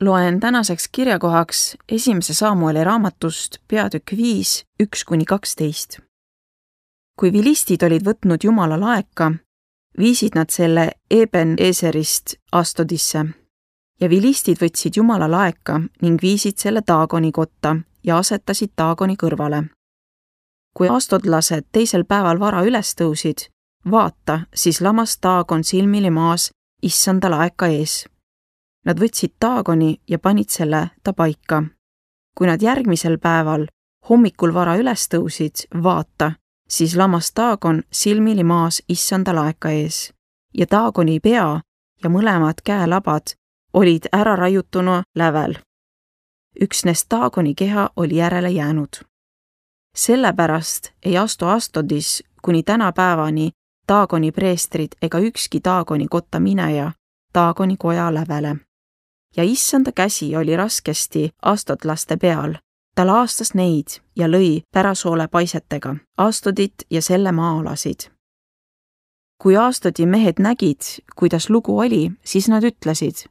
Loen tänaseks kirjakohaks 1. Samueli raamatust peatükk 5, 1-12. Kui vilistid olid võtnud Jumala laeka, viisid nad selle Eben-Eserist Astodisse ja vilistid võtsid Jumala laeka ning viisid selle Daagoni kotta ja asetasid Daagoni kõrvale. Kui astodlased teisel päeval vara üles tõusid, vaata, siis lamas Daagon silmili maas issanda laeka ees. Nad võtsid Daagoni ja panid selle ta paika. Kui nad järgmisel päeval hommikul vara üles tõusid, vaata, siis lamas Daagon silmili maas issanda laeka ees ja Daagoni pea ja mõlemad käelabad olid ära raiutuna lävel. Üksnes Daagoni keha oli järele jäänud. Sellepärast ei astu Astodis kuni tänapäevani Daagoni preestrid ega ükski Daagoni kotta mineja Daagoni koja lävele. Ja issanda käsi oli raskesti astodlaste peal. Ta laastas neid ja lõi pärasoole paisetega, Astodit ja selle maa-alasid. Kui Astodi mehed nägid, kuidas lugu oli, siis nad ütlesid,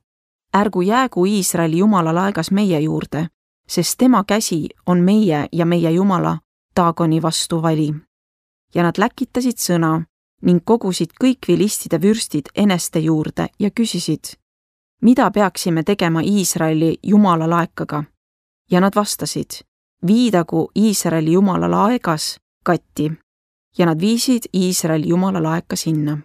ärgu jäägu Iisraeli Jumala laegas meie juurde, sest tema käsi on meie ja meie Jumala Daagoni vastu vali. Ja nad läkitasid sõna ning kogusid kõik vilistide vürstid eneste juurde ja küsisid, mida peaksime tegema Iisraeli Jumala laekaga? Ja nad vastasid, viidagu Iisraeli Jumala laegas katti, ja nad viisid Iisraeli Jumala laeka sinna.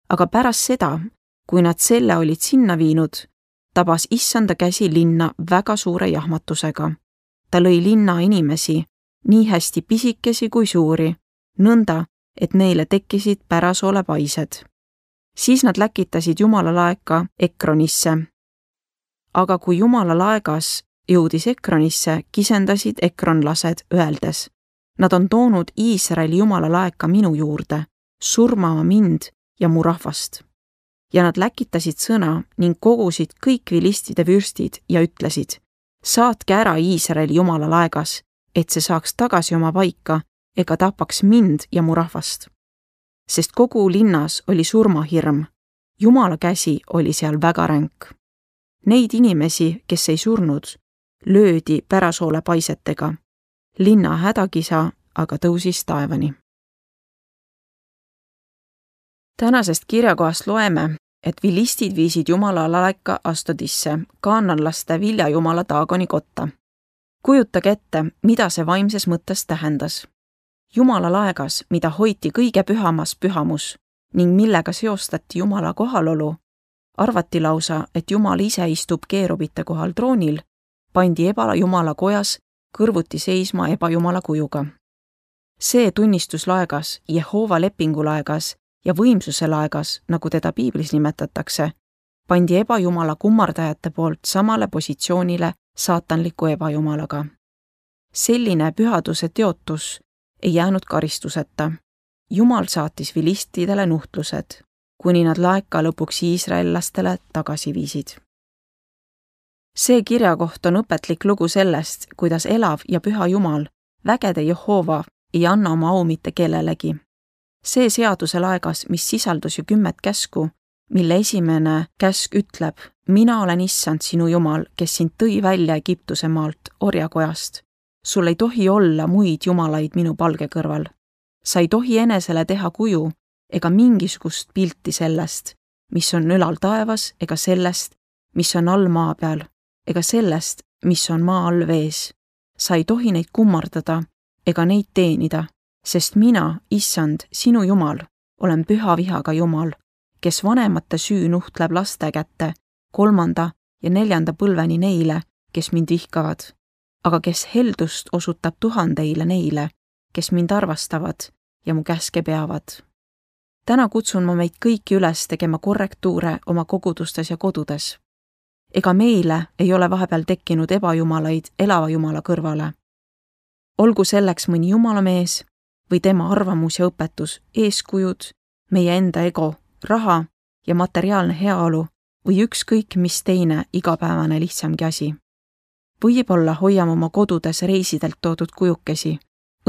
Aga pärast seda, kui nad selle olid sinna viinud, tabas issanda käsi linna väga suure jahmatusega. Ta lõi linna inimesi, nii hästi pisikesi kui suuri, nõnda, et neile tekkisid pärasoole paised. Siis nad läkitasid Jumala laeka Ekronisse. Aga kui Jumala laegas jõudis Ekronisse, kisendasid ekronlased öeldes, nad on toonud Iisraeli Jumala laeka minu juurde, surmama mind ja mu rahvast. Ja nad läkitasid sõna ning kogusid kõik vilistide vürstid ja ütlesid, saatke ära Iisraeli Jumala laegas, et see saaks tagasi oma paika ega tapaks mind ja mu rahvast. Sest kogu linnas oli surmahirm, Jumala käsi oli seal väga ränk. Neid inimesi, kes ei surnud, löödi pärasoole paisetega. Linna hädakisa aga tõusis taevani. Tänasest kirjakohast loeme, et vilistid viisid Jumala laeka Astodisse, kaananlaste viljajumala Daagoni kotta. Kujutage ette, mida see vaimses mõttes tähendas. Jumala laegas, mida hoiti kõige pühamas pühamus ning millega seostati Jumala kohalolu, arvati lausa, et Jumal ise istub keerubite kohal troonil, pandi ebajumala kojas kõrvuti seisma ebajumala kujuga. See tunnistuslaegas, Jehova lepingulaegas ja võimsuse laegas, nagu teda piiblis nimetatakse, pandi ebajumala kummardajate poolt samale positsioonile saatanliku ebajumalaga. Selline pühaduse teotus ei jäänud karistuseta. Jumal saatis vilistidele nuhtlused, kuni nad laeka lõpuks iisraellastele tagasi viisid. See kirjakoht on õpetlik lugu sellest, kuidas elav ja püha Jumal, vägede Jehova, ei anna oma au mitte kellelegi. See seaduse laegas, mis sisaldus ju 10 käsku, mille esimene käsk ütleb, mina olen issand sinu Jumal, kes sind tõi välja Egiptuse maalt, orjakojast. Sul ei tohi olla muid jumalaid minu palge kõrval. Sa ei tohi enesele teha kuju ega mingisugust pilti sellest, mis on ülal taevas, ega sellest, mis on all maa peal, ega sellest, mis on maa all vees. Sa ei tohi neid kummardada ega neid teenida, sest mina, issand, sinu Jumal, olen püha vihaga Jumal, kes vanemate süü nuhtleb laste kätte 3. ja 4. põlveni neile, kes mind vihkavad, aga kes heldust osutab 1000 neile, kes mind arvastavad ja mu käske peavad. Täna kutsun ma meid kõiki üles tegema korrektuure oma kogudustes ja kodudes. Ega meile ei ole vahepeal tekkinud ebajumalaid elava Jumala kõrvale. Olgu selleks mõni jumalamees või tema arvamus ja õpetus, eeskujud, meie enda ego, raha ja materiaalne heaolu või ükskõik mis teine igapäevane lihtsamgi asi. Võib-olla hoiame oma kodudes reisidelt toodud kujukesi,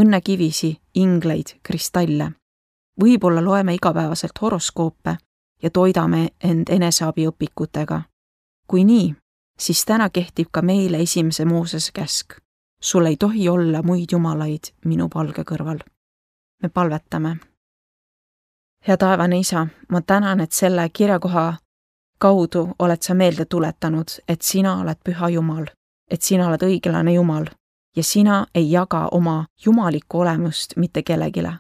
õnnekivisi, ingleid, kristalle. Võib-olla loeme igapäevaselt horoskoope ja toidame end eneseabiõpikutega. Kui nii, siis täna kehtib ka meile esimese Moosese käsk. Sul ei tohi olla muid jumalaid minu palge kõrval. Me palvetame. Hea taevane Isa, ma tänan, et selle kirjakoha kaudu oled sa meelde tuletanud, et sina oled püha Jumal, et sina oled õiglane Jumal ja sina ei jaga oma jumalikku olemust mitte kellegile.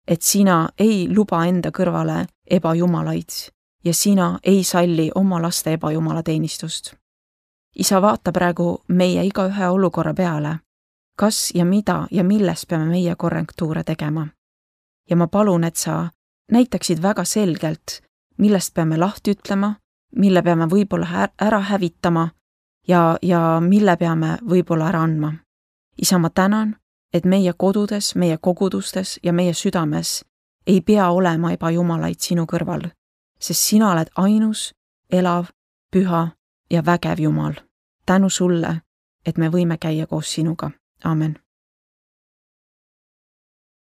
Et sina ei luba enda kõrvale ebajumalaid ja sina ei salli oma laste ebajumalateenistust. Isa, vaata praegu meie igaühe olukorra peale, kas ja mida ja milles peame meie korrektuure tegema. Ja ma palun, et sa näitaksid väga selgelt, millest peame lahti ütlema, mille peame võib-olla ära hävitama ja mille peame võib-olla ära andma. Isa, ma tänan, et meie kodudes, meie kogudustes ja meie südames ei pea olema ebajumalaid sinu kõrval, sest sina oled ainus, elav, püha ja vägev Jumal. Tänu sulle, et me võime käia koos sinuga. Amen.